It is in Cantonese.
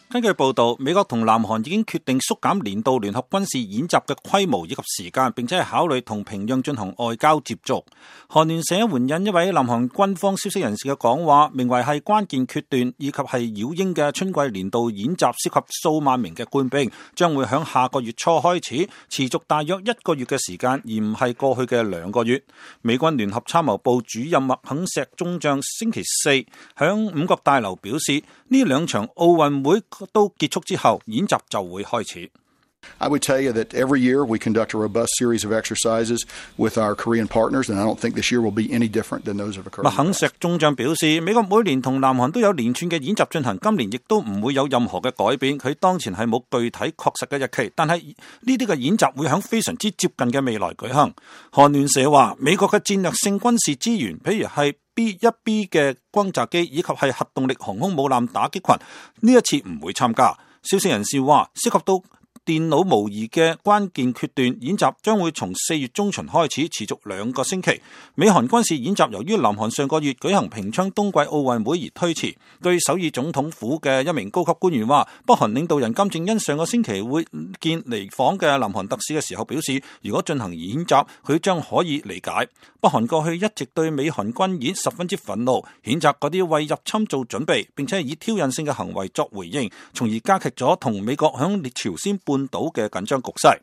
根據報道，美國同南韓已經決定縮減年度聯合軍事演習嘅規模以及時間，並且係考慮同平壤進行外交接觸。韓聯社援引一位南韓軍方消息人士嘅講話，名為係關鍵決斷以及係擾英嘅春季年度演習，涉及數萬名嘅官兵，將會響下個月初開始，持續大約1個月嘅時間，而唔係過去嘅2個月。美軍聯合參謀部主任麥肯錫中將星期四響五角大樓表示，呢2場奧運會都結束之後，演習就會開始。I would tell you that every year we conduct a robust series of exercises with our Korean partners, and I don't think this year will be any different than those of occurred. 麥肯錫中將表示，美國每年同南韓都有連串嘅演習進行，今年亦都唔會有任何嘅改變。佢當前係冇具體確實嘅日期，但係呢啲嘅演習會喺非常之接近嘅未來舉行。韓聯社話，美國嘅戰略性軍事資源，譬如係 B-1B 嘅轟炸機以及係核動力航空母艦打擊群，呢一次唔會參加。消息人士話，涉及到電腦模擬嘅關鍵決斷演習將會從4月中旬開始，持續2個星期。美韓軍事演習由於南韓上個月舉行平昌冬季奧運會而推遲。據首爾總統府嘅一名高級官員話，北韓領導人金正恩上個星期會見嚟訪嘅南韓特使嘅時候表示，如果進行演習，佢將可以理解。北韓過去一直對美韓軍演十分之憤怒，譴責嗰啲為入侵做準備，並且以挑釁性嘅行為作回應，從而加劇咗同美國響朝鮮半島嘅緊張局勢。